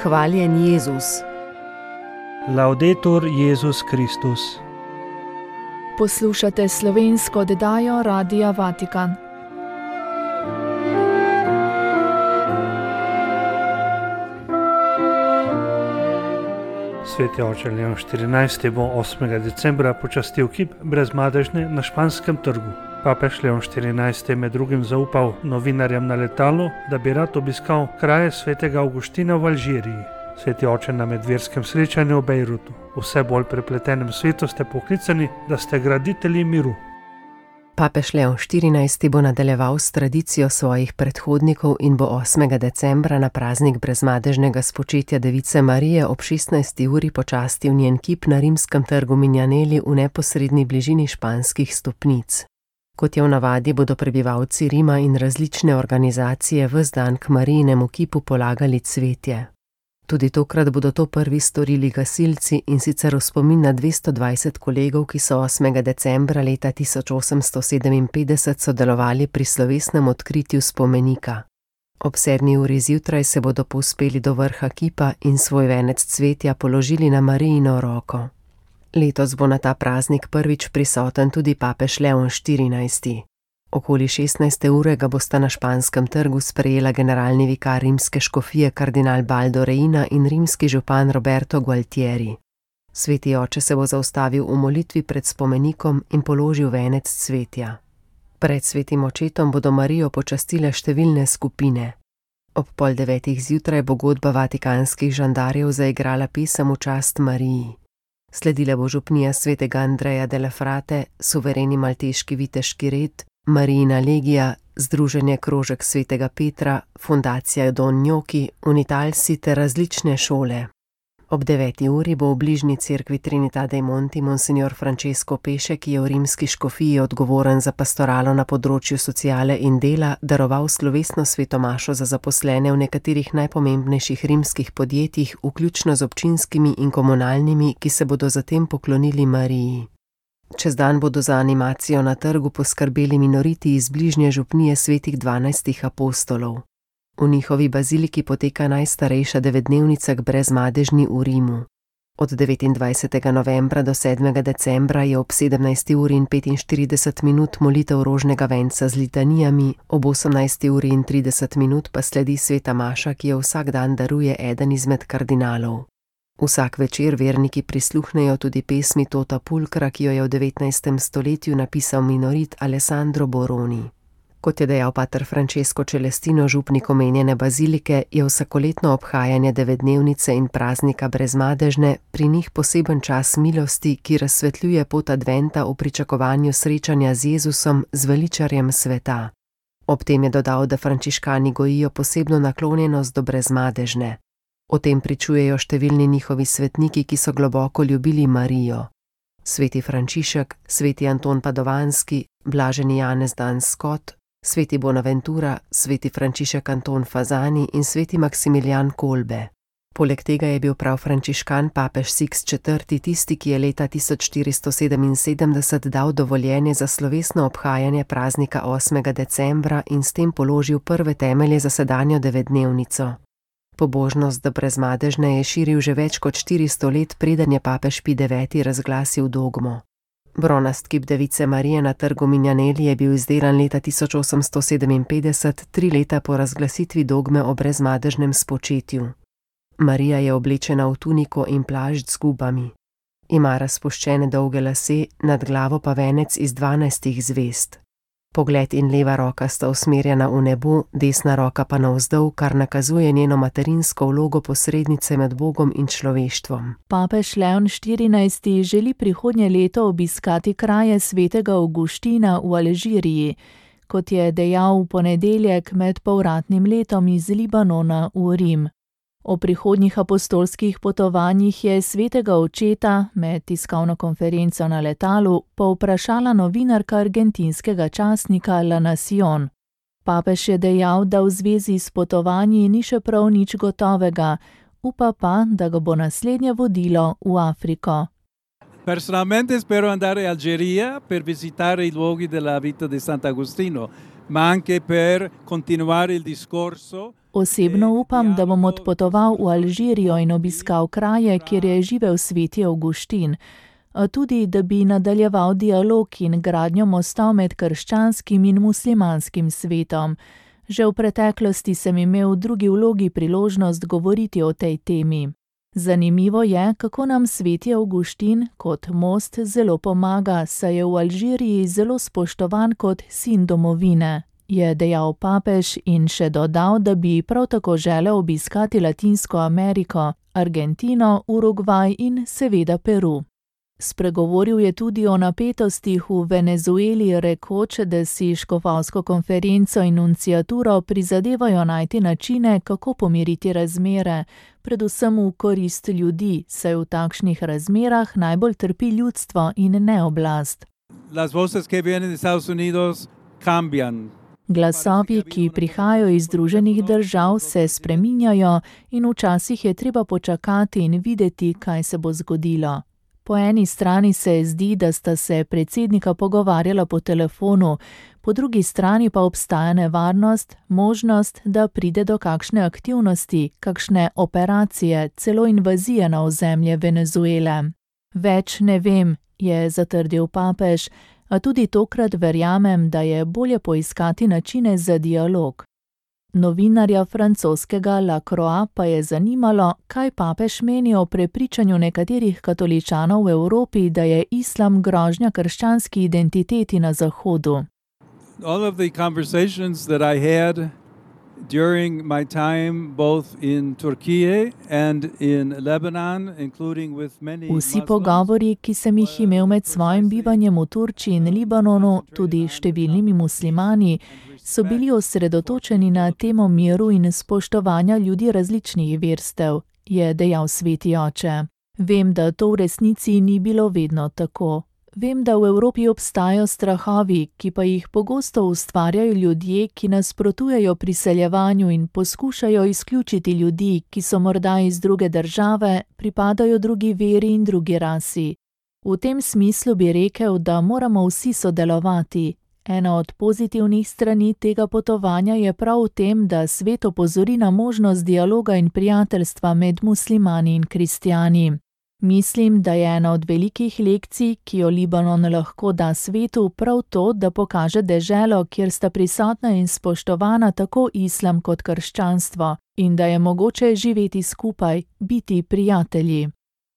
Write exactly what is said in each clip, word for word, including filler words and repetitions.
Hvaljen Jezus. Laudetur Jezus Kristus. Poslušate slovensko oddajo Radia Vatikan. Sveti oče Leon štirinajsti bo osmega decembra počastil kip Brezmadežne na Španskem trgu. Papež Leon štirinajsti je med drugim zaupal novinarjem na letalu, da bi rad obiskal kraje svetega Avguština v Alžiriji. Sveti oče na medverskem srečanju v Bejrutu. V vse bolj prepletenem svetu ste poklicani, da ste graditelji miru. Papež Leon štirinajsti bo nadaljeval s tradicijo svojih predhodnikov in bo osmega decembra na praznik brezmadežnega spočetja Device Marije ob šestnajsti uri počastil njen kip na rimskem trgu Minjaneli v neposredni bližini španskih stopnic. Kot je v navadi, bodo prebivalci Rima in različne organizacije ves dan k Marijinemu kipu polagali cvetje. Tudi tokrat bodo to prvi storili gasilci, in sicer v spomin na dvesto dvajset kolegov, ki so osmega decembra leta tisoč osemsto sedeminpetdeset sodelovali pri slovesnem odkritju spomenika. Ob sedmi uri zjutraj se bodo povzpeli do vrha kipa in svoj venec cvetja položili na Marijino roko. Letos bo na ta praznik prvič prisoten tudi papež Leon štirinajsti. Okoli šestnajste ure ga bosta na Španskem trgu sprejela generalni vikar rimske škofije kardinal Baldo Reina in rimski župan Roberto Gualtieri. Sveti oče se bo zaustavil v molitvi pred spomenikom in položil venec cvetja. Pred svetim očetom bodo Marijo počastile številne skupine. Ob pol devetih zjutraj bo godba vatikanskih žandarjev zaigrala pesem v čast Mariji. Sledila bo župnija svetega Andreja della Frate, suvereni malteški viteški red, Marijina legija, Združenje krožek svetega Petra, fundacija Don Gnocchi, Unitalsi ter različne šole. Ob deveti uri bo v bližnji cerkvi Trinità dei Monti monsignor Francesco Peše, ki je v rimski škofiji odgovoren za pastoralo na področju sociale in dela, daroval slovesno svetomašo za zaposlene v nekaterih najpomembnejših rimskih podjetjih, vključno z občinskimi in komunalnimi, ki se bodo zatem poklonili Mariji. Čez dan bodo za animacijo na trgu poskrbeli minoriti iz bližnje župnije svetih dvanajstih apostolov. V njihovi baziliki poteka najstarejša devetdnevnica k Brezmadežni v Rimu. Od devetindvajsetega novembra do sedmega decembra je ob sedemnajsti uri in petinštirideset minut molitev rožnega venca z litanijami, ob osemnajsti uri in trideset minut pa sledi sveta maša, ki jo vsak dan daruje eden izmed kardinalov. Vsak večer verniki prisluhnejo tudi pesmi Tota Pulcra, ki jo je v devetnajstem stoletju napisal minorit Alessandro Boroni. Kot je dejal pater Francesco Celestino, župnik omenjene bazilike, je vsakoletno obhajanje devetdnevnice in praznika Brezmadežne pri njih poseben čas milosti, ki razsvetljuje pot adventa v pričakovanju srečanja z Jezusom, zveličarjem sveta. Ob tem je dodal, da frančiškani gojijo posebno naklonjenost do Brezmadežne. O tem pričujejo številni njihovi svetniki, ki so globoko ljubili Marijo. Sveti Frančišek, sveti Anton Padovanski, blaženi Janez Dan Scott, sveti Bonaventura, sveti Frančišek Anton Fazani in sveti Maksimilijan Kolbe. Poleg tega je bil prav frančiškan papež Siks četrti tisti, ki je leta tisoč štiristo sedeminsedemdeset dal dovoljenje za slovesno obhajanje praznika osmega decembra in s tem položil prve temelje za sedanjo devetdnevnico. Pobožnost do Brezmadežne je širil že več kot štiristo let, preden je papež Pij deveti razglasil dogmo. Bronast kip Device Marije na trgu Minjaneli je bil izdelan leta tisoč osemsto sedeminpetdeset, tri leta po razglasitvi dogme o brezmadežnem spočetju. Marija je oblečena v tuniko in plašč z gubami. Ima razpuščene dolge lase, nad glavo pa venec iz dvanajstih zvezd. Pogled in leva roka sta usmerjena v nebo, desna roka pa navzdol, kar nakazuje njeno materinsko vlogo posrednice med Bogom in človeštvom. Papež Leon štirinajsti želi prihodnje leto obiskati kraje svetega Avguština v Alžiriji, kot je dejal v ponedeljek med povratnim letom iz Libanona v Rim. O prihodnjih apostolskih potovanjih je svetega očeta med tiskovno konferenco na letalu povprašala novinarka argentinskega časnika La Nación. Papež je dejal, da v zvezi s potovanji ni še prav nič gotovega, upa pa, da ga bo naslednje vodilo v Afriko. Personalmente spero andare in Algeria per visitare i luoghi della vita di Sant'Agostino, ma anche per continuare il discorso. Osebno upam, da bom odpotoval v Alžirijo in obiskal kraje, kjer je živel sveti Avguštin, a tudi, da bi nadaljeval dialog in gradnjo mostov med krščanskim in muslimanskim svetom. Že v preteklosti sem imel v drugi vlogi priložnost govoriti o tej temi. Zanimivo je, kako nam sveti Avguštin kot most zelo pomaga, saj je v Alžiriji zelo spoštovan kot sin domovine, je dejal papež in še dodal, da bi prav tako želel obiskati Latinsko Ameriko, Argentino, Urugvaj in seveda Peru. Spregovoril je tudi o napetostih v Venezueli, rekoč, da si škofovsko konferenco in nunciaturo prizadevajo najti načine, kako pomiriti razmere, predvsem v korist ljudi, saj v takšnih razmerah najbolj trpi ljudstvo in ne oblast. Las voces que vienen de Estados Unidos cambian. Glasovi, ki prihajajo iz Združenih držav, se spreminjajo in včasih je treba počakati in videti, kaj se bo zgodilo. Po eni strani se zdi, da sta se predsednika pogovarjala po telefonu, po drugi strani pa obstaja nevarnost, možnost, da pride do kakšne aktivnosti, kakšne operacije, celo invazije na ozemlje Venezuele. Več ne vem, je zatrdil papež, a tudi tokrat verjamem, da je bolje poiskati načine za dialog. Novinarja francoskega La Croix pa je zanimalo, kaj papež meni o prepričanju nekaterih katoličanov v Evropi, da je islam grožnja krščanski identiteti na Zahodu. All of the conversations that I had during my time both in Turkey and in Lebanon, including with many Vsi pogovori, ki sem jih imel med svojim bivanjem v Turčiji in Libanonu, tudi številnimi muslimani, so bili osredotočeni na temo miru in spoštovanja ljudi različnih verstev, je dejal sveti oče. Vem, da to v resnici ni bilo vedno tako. Vem, da v Evropi obstajajo strahovi, ki pa jih pogosto ustvarjajo ljudje, ki nasprotujejo priseljevanju in poskušajo izključiti ljudi, ki so morda iz druge države, pripadajo drugi veri in drugi rasi. V tem smislu bi rekel, da moramo vsi sodelovati. Ena od pozitivnih strani tega potovanja je prav v tem, da svet opozori na možnost dialoga in prijateljstva med muslimani in kristjani. Mislim, da je ena od velikih lekcij, ki jo Libanon lahko da svetu, prav to, da pokaže deželo, kjer sta prisotna in spoštovana tako islam kot krščanstvo, in da je mogoče živeti skupaj, biti prijatelji.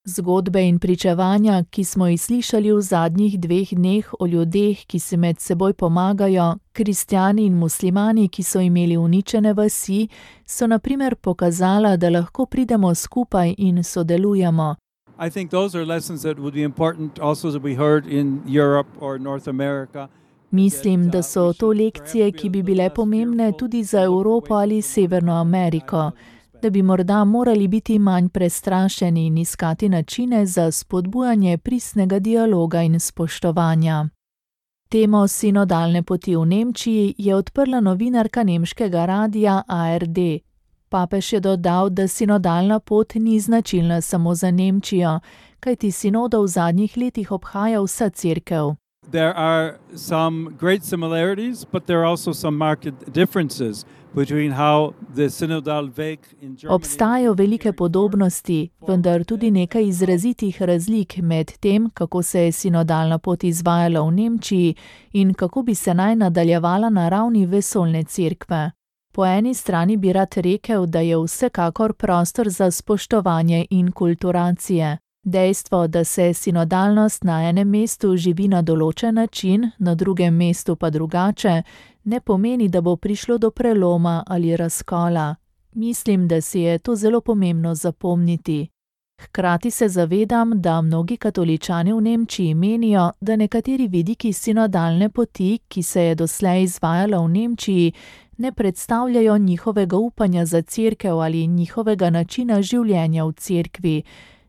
Zgodbe in pričevanja, ki smo jih slišali v zadnjih dveh dneh o ljudeh, ki si med seboj pomagajo, kristjani in muslimani, ki so imeli uničene vasi, so na primer pokazala, da lahko pridemo skupaj in sodelujemo. I think those are lessons that would be important also to be heard in Europe or North America. Mislim, da so to lekcije, ki bi bile pomembne tudi za Evropo ali Severno Ameriko, da bi morda morali biti manj prestrašeni in iskati načine za spodbujanje pristnega dialoga in spoštovanja. Temo sinodalne poti v Nemčiji je odprla novinarka nemškega radia A R D. Papež je dodal, da sinodalna pot ni značilna samo za Nemčijo, kajti sinodo v zadnjih letih obhaja vsa cerkev. There are some great similarities, but there are also some marked differences between how the synodal Weg in Germany. Obstajajo velike podobnosti, vendar tudi nekaj izrazitih razlik med tem, kako se je sinodalna pot izvajala v Nemčiji in kako bi se naj nadaljevala na ravni vesoljne cerkve. Po eni strani bi rad rekel, da je vsekakor prostor za spoštovanje in kulturacije. Dejstvo, da se sinodalnost na enem mestu živi na določen način, na drugem mestu pa drugače, ne pomeni, da bo prišlo do preloma ali razkola. Mislim, da si je to zelo pomembno zapomniti. Hkrati se zavedam, da mnogi katoličani v Nemčiji menijo, da nekateri vidiki sinodalne poti, ki se je doslej izvajala v Nemčiji, ne predstavljajo njihovega upanja za cerkev ali njihovega načina življenja v cerkvi.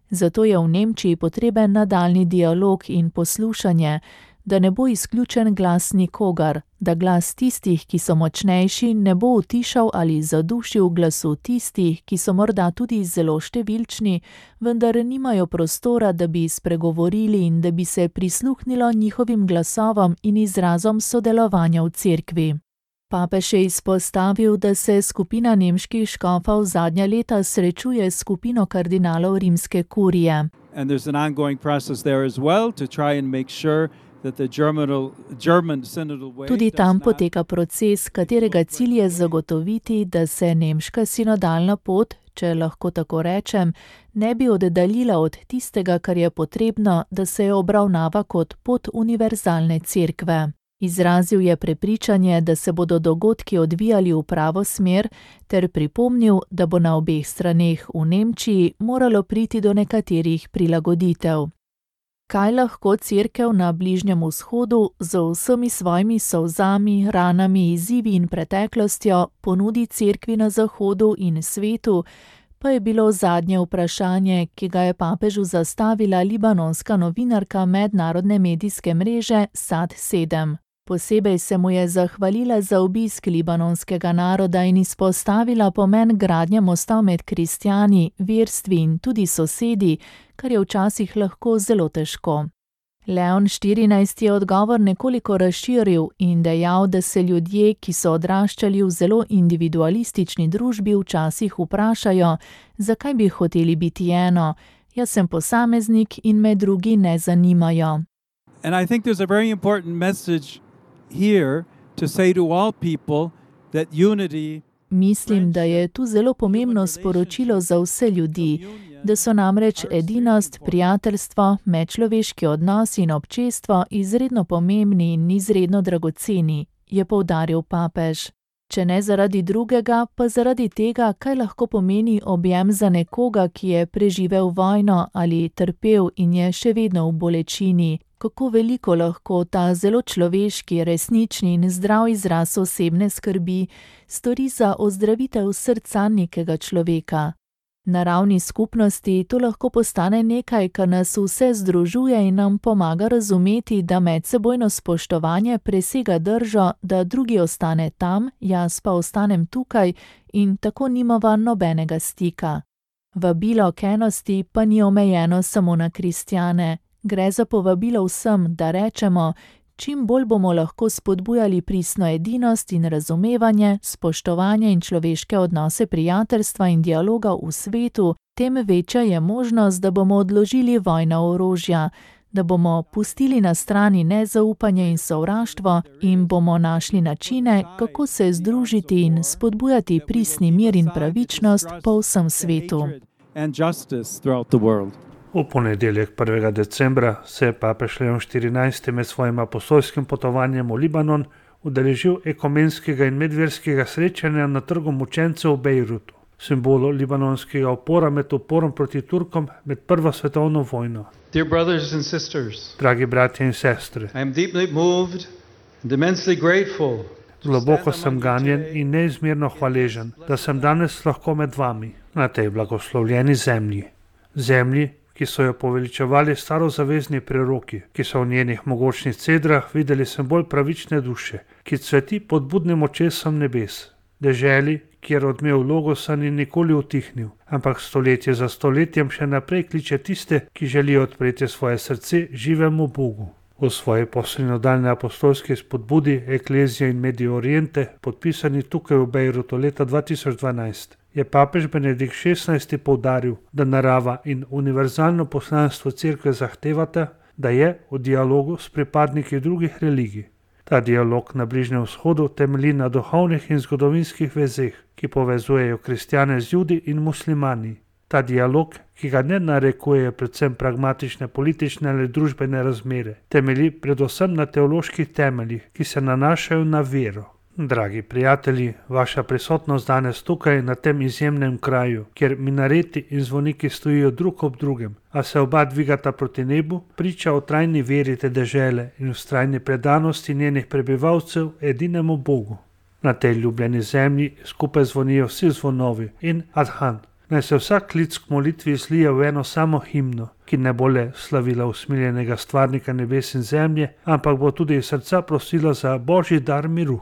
Zato je v Nemčiji potreben nadaljnji dialog in poslušanje, da ne bo izključen glas nikogar, da glas tistih, ki so močnejši, ne bo utišal ali zadušil glasu tistih, ki so morda tudi zelo številčni, vendar nimajo prostora, da bi spregovorili in da bi se prisluhnilo njihovim glasovom in izrazom sodelovanja v cerkvi. Papež je izpostavil, da se skupina nemških škofov zadnja leta srečuje s skupino kardinalov rimske kurije. And there's an ongoing process there as well to try and make sure that the German, German synodal way Tudi tam does not poteka proces, katerega cilj je zagotoviti, da se nemška sinodalna pot, če lahko tako rečem, ne bi oddaljila od tistega, kar je potrebno, da se jo obravnava kot pot univerzalne cerkve. Izrazil je prepričanje, da se bodo dogodki odvijali v pravo smer, ter pripomnil, da bo na obeh straneh v Nemčiji moralo priti do nekaterih prilagoditev. Kaj lahko cerkev na Bližnjem vzhodu z vsemi svojimi solzami, ranami, izzivi in preteklostjo ponudi cerkvi na zahodu in svetu, pa je bilo zadnje vprašanje, ki ga je papežu zastavila libanonska novinarka mednarodne medijske mreže Sad sedem. Posebej se mu je zahvalila za obisk libanonskega naroda in izpostavila pomen gradnje mostov med kristjani, verstvi in tudi sosedi, kar je včasih lahko zelo težko. Leon štirinajsti je odgovor nekoliko razširil in dejal, da se ljudje, ki so odraščali v zelo individualistični družbi, včasih vprašajo, zakaj bi hoteli biti eno, jaz sem posameznik in me drugi ne zanimajo. And I think there's a very important message here to say to all people that unity. Mislim, da je tu zelo pomembno sporočilo za vse ljudi, da so namreč edinost, prijateljstvo, medčloveški odnos in občestvo izredno pomembni in izredno dragoceni, je poudaril papež. Če ne zaradi drugega, pa zaradi tega, kaj lahko pomeni objem za nekoga, ki je preživel vojno ali trpel in je še vedno v bolečini, kako veliko lahko ta zelo človeški, resnični in zdrav izraz osebne skrbi stori za ozdravitev srca nekega človeka. Na ravni skupnosti to lahko postane nekaj, kar nas vse združuje in nam pomaga razumeti, da medsebojno spoštovanje presega držo, da drugi ostane tam, jaz pa ostanem tukaj in tako nimava nobenega stika. Vabilo k enosti pa ni omejeno samo na kristjane. Gre za povabilo vsem, da rečemo, čim bolj bomo lahko spodbujali pristno edinost in razumevanje, spoštovanje in človeške odnose prijateljstva in dialoga v svetu, tem večja je možnost, da bomo odložili vojna orožja, da bomo pustili na strani nezaupanje in sovraštvo in bomo našli načine, kako se združiti in spodbujati pristni mir in pravičnost po vsem svetu. V ponedeljek prvega decembra se je papež Leon štirinajsti med svojim apostolskim potovanjem v Libanon udeležil ekumenskega in medverskega srečanja na trgu mučencev v Bejrutu, simbolu libanonskega upora med uporom proti Turkom med prvo svetovno vojno. Dear brothers and sisters, Dragi bratje in sestre, I am deeply moved and immensely grateful. Globoko sem ganjen in neizmerno hvaležen, da sem danes lahko med vami na tej blagoslovljeni zemlji. Zemlji, ki so jo poveličevali starozavezni preroki, ki so v njenih mogočnih cedrah videli simbol pravične duše, ki cveti pod budnim očesom nebes, deželi, kjer odmev logosa ni nikoli utihnil, ampak stoletje za stoletjem še naprej kliče tiste, ki želijo odpreti svoje srce živemu Bogu. V svoji poslinodalni apostolski spodbudi Ecclesia in Medio Oriente, podpisani tukaj v Bejrutu leta dva tisoč dvanajst, je papež Benedikt šestnajsti poudaril, da narava in univerzalno poslanstvo cerkve zahtevata, da je v dialogu s pripadniki drugih religij. Ta dialog na Bližnjem vzhodu temelji na duhovnih in zgodovinskih vezeh, ki povezujejo kristjane z Judi in muslimani. Ta dialog, ki ga ne narekuje predvsem pragmatične politične ali družbene razmere, temelji predvsem na teoloških temeljih, ki se nanašajo na vero. Dragi prijatelji, vaša prisotnost danes tukaj na tem izjemnem kraju, kjer minareti in zvoniki stojijo drug ob drugem, a se oba dvigata proti nebu, priča o trajni veri te dežele in vztrajni predanosti njenih prebivalcev edinemu Bogu. Na tej ljubljeni zemlji skupaj zvonijo vsi zvonovi in adhan. Naj se vsak klic k molitvi slije v eno samo himno, ki ne bo le slavila usmiljenega stvarnika nebes in zemlje, ampak bo tudi iz srca prosila za božji dar miru.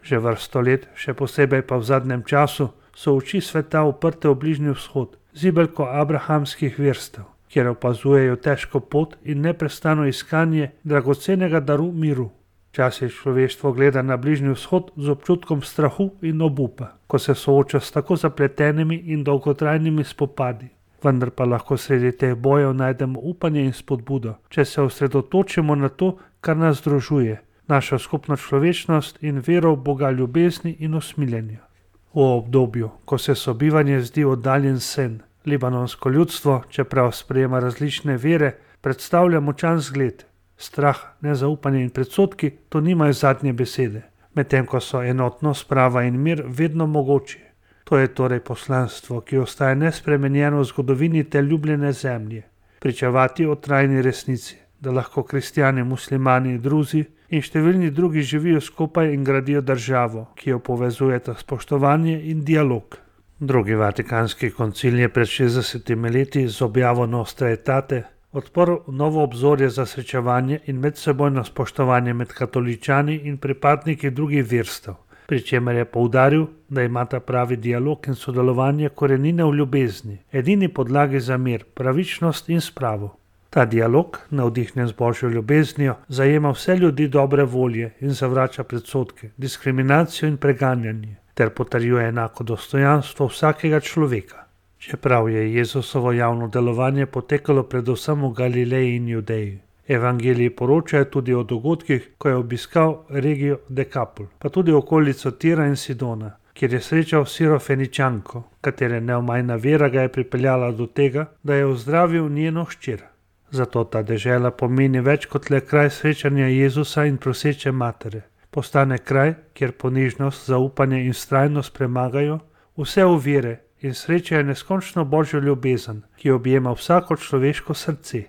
Že vrsto let, še posebej pa v zadnjem času, so oči sveta uprte v Bližnji vzhod, zibelko abrahamskih verstev, kjer opazujejo težko pot in neprestano iskanje dragocenega daru miru. Včasih človeštvo gleda na Bližnji vzhod z občutkom strahu in obupa, ko se sooča s tako zapletenimi in dolgotrajnimi spopadi. Vendar pa lahko sredi teh bojev najdemo upanje in spodbudo, če se osredotočimo na to, kar nas združuje, našo skupno človečnost in vero v Boga ljubezni in usmiljenja. V obdobju, ko se sobivanje zdi oddaljen sen, libanonsko ljudstvo, čeprav sprejema različne vere, predstavlja močan zgled. Strah, nezaupanje in predsodki to nimajo zadnje besede, medtem ko so enotnost, sprava in mir vedno mogoči. To je torej poslanstvo, ki ostaja nespremenjeno v zgodovini te ljubljene zemlje. Pričevati o trajni resnici, da lahko kristjani, muslimani, druzi in številni drugi živijo skupaj in gradijo državo, ki jo povezujeta spoštovanje in dialog. Drugi vatikanski koncil je pred šestdesetimi leti z objavo Nostra Aetate odprl novo obzorje za srečevanje in medsebojno spoštovanje med katoličani in pripadniki drugih verstev, pri čemer je poudaril, da imata pravi dialog in sodelovanje korenine v ljubezni, edini podlagi za mir, pravičnost in spravo. Ta dialog, navdihnjen z Božjo ljubeznijo, zajema vse ljudi dobre volje in zavrača predsodke, diskriminacijo in preganjanje, ter potrjuje enako dostojanstvo vsakega človeka. Čeprav je Jezusovo javno delovanje potekalo predvsem v Galileji in Judeji, evangeliji poročajo tudi o dogodkih, ko je obiskal regijo Dekapol, pa tudi okolico Tira in Sidona, kjer je srečal Sirofeničanko, katere neomajna vera ga je pripeljala do tega, da je ozdravil njeno hčer. Zato ta dežela pomeni več kot le kraj srečanja Jezusa in proseče matere. Postane kraj, kjer ponižnost, zaupanje in vztrajnost premagajo vse ovire in srečajo neskončno Božjo ljubezen, ki objema vsako človeško srce.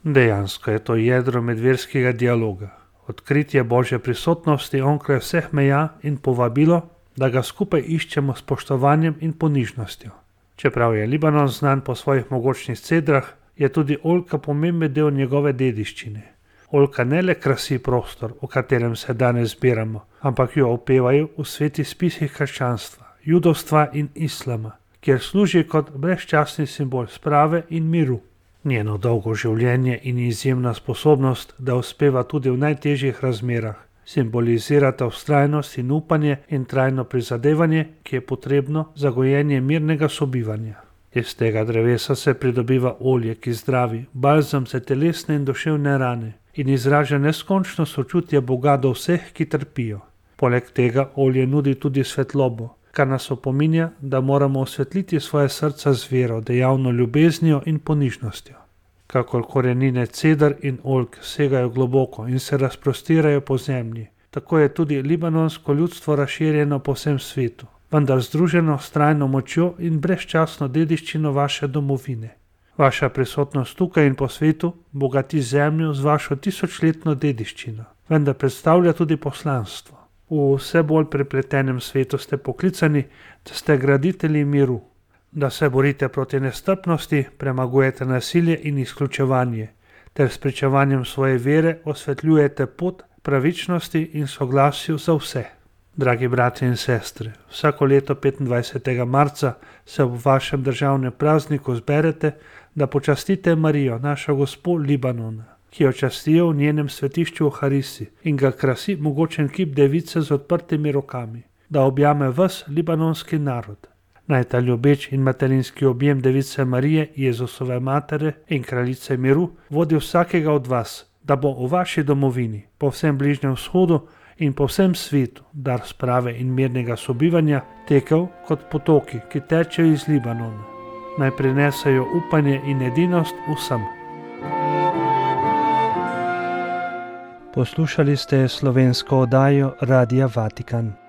Dejansko je to jedro medverskega dialoga, odkritje Božje prisotnosti onkraj vseh meja in povabilo, da ga skupaj iščemo s spoštovanjem in ponižnostjo. Čeprav je Libanon znan po svojih mogočnih cedrah, je tudi oljka pomemben del njegove dediščine. Oljka ne le krasi prostor, v katerem se danes zbiramo, ampak jo opevajo v svetih spisih krščanstva, judovstva in islama, kjer služi kot brezčasni simbol sprave in miru. Njeno dolgo življenje in izjemna sposobnost, da uspeva tudi v najtežjih razmerah, simbolizirata vztrajnost in upanje in trajno prizadevanje, ki je potrebno za gojenje mirnega sobivanja. Iz tega drevesa se pridobiva olje, ki zdravi, balzam za telesne in duševne rane in izraža neskončno sočutje Boga do vseh, ki trpijo. Poleg tega olje nudi tudi svetlobo, kar nas opominja, da moramo osvetliti svoje srca z vero, dejavno ljubeznijo in ponižnostjo. Kakor korenine cedar in oljk segajo globoko in se razprostirajo po zemlji, tako je tudi libanonsko ljudstvo razširjeno po vsem svetu, vendar združeno s trajno močjo in brezčasno dediščino vaše domovine. Vaša prisotnost tukaj in po svetu bogati zemljo z vašo tisočletno dediščino, vendar predstavlja tudi poslanstvo. V vse bolj prepletenem svetu ste poklicani, da ste graditelji miru, da se borite proti nestrpnosti, premagujete nasilje in izključevanje, ter s pričevanjem svoje vere osvetljujete pot pravičnosti in soglasju za vse. Dragi bratje in sestre, vsako leto petindvajsetega marca se ob vašem državnem prazniku zberete, da počastite Marijo, našo gospo Libanona, ki jo častijo v njenem svetišču v Harisi in ga krasi mogočen kip device z odprtimi rokami, da objame ves libanonski narod. Naj ta ljubeč in materinski objem device Marije, Jezusove matere in kraljice miru vodi vsakega od vas, da bo v vaši domovini, po vsem Bližnjem vzhodu in po vsem svetu dar sprave in mirnega sobivanja tekel kot potoki, ki tečejo iz Libanona. Naj prinesajo upanje in edinost vsem. Poslušali ste slovensko oddajo Radia Vatikan.